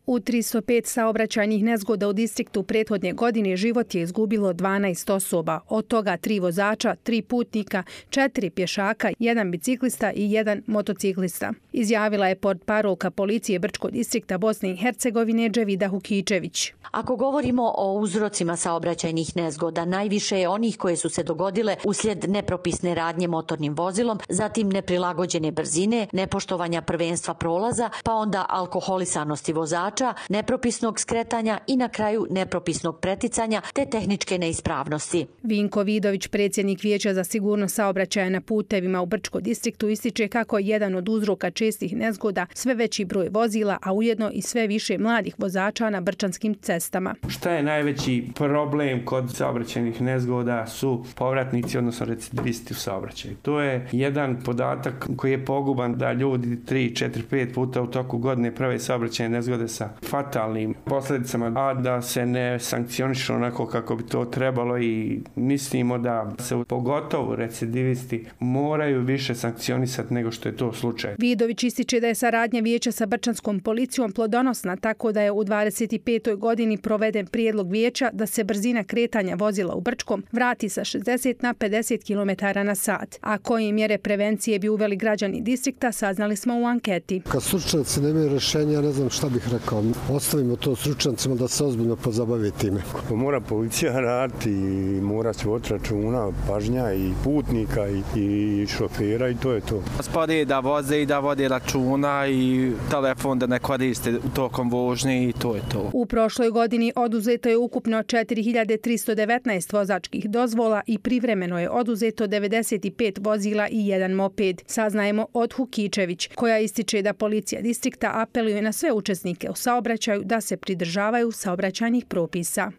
U 305 saobraćajnih nezgoda u distriktu prethodne godine život je izgubilo 12 osoba, od toga 3 vozača, 3 putnika, 4 pješaka, 1 biciklista i 1 motociklista. Izjavila je portparolka policije Brčkog distrikta Bosne i Hercegovine Dževida Hukičević. Ako govorimo o uzrocima saobraćajnih nezgoda, najviše je onih koje su se dogodile uslijed nepropisne radnje motornim vozilom, zatim neprilagođene brzine, nepoštovanja prvenstva prolaza, pa onda alkoholisanosti vozača, nepropisnog skretanja i na kraju nepropisnog preticanja te tehničke neispravnosti. Vinko Vidović, predsjednik Vijeća za sigurnost saobraćaja na putevima u Brčkom distriktu, ističe kako je jedan od uzroka čestih nezgoda sve veći broj vozila, a ujedno i sve više mladih vozača na brčanskim cestama. Šta je najveći problem kod saobraćajnih nezgoda su povratnici, odnosno recidivisti u saobraćaju. To je jedan podatak koji je poguban da ljudi 3, 4, 5 puta u toku godine prave saobraćajne nezgode sa fatalnim posljedicama, a da se ne sankcionišu onako kako bi to trebalo i mislimo da se pogotovo recidivisti moraju više sankcionisati nego što je to slučaj. Vidović ističe da je saradnja Vijeća sa brčanskom policijom plodonosna, tako da je u 25. godini proveden prijedlog Vijeća da se brzina kretanja vozila u Brčkom vrati sa 60 na 50 km na sat. A koje mjere prevencije bi uveli građani distrikta, saznali smo u anketi. Kad stručnjaci nemaju rješenja, ne znam šta bih rekao. Ostavimo to stručnjacima da se ozbiljno pozabave time. Mora policija raditi i mora se voditi računa, pažnja i putnika i šofera i to je to. Spori da voze i da vode računa i telefon da ne koriste tokom vožnje i to je to. U prošloj godini oduzeto je ukupno 4319 vozačkih dozvola i privremeno je oduzeto 95 vozila i 1 moped. Saznajemo od Hukičević, koja ističe da policija distrikta apeluje na sve učesnike u saobraćaju da se pridržavaju saobraćajnih propisa.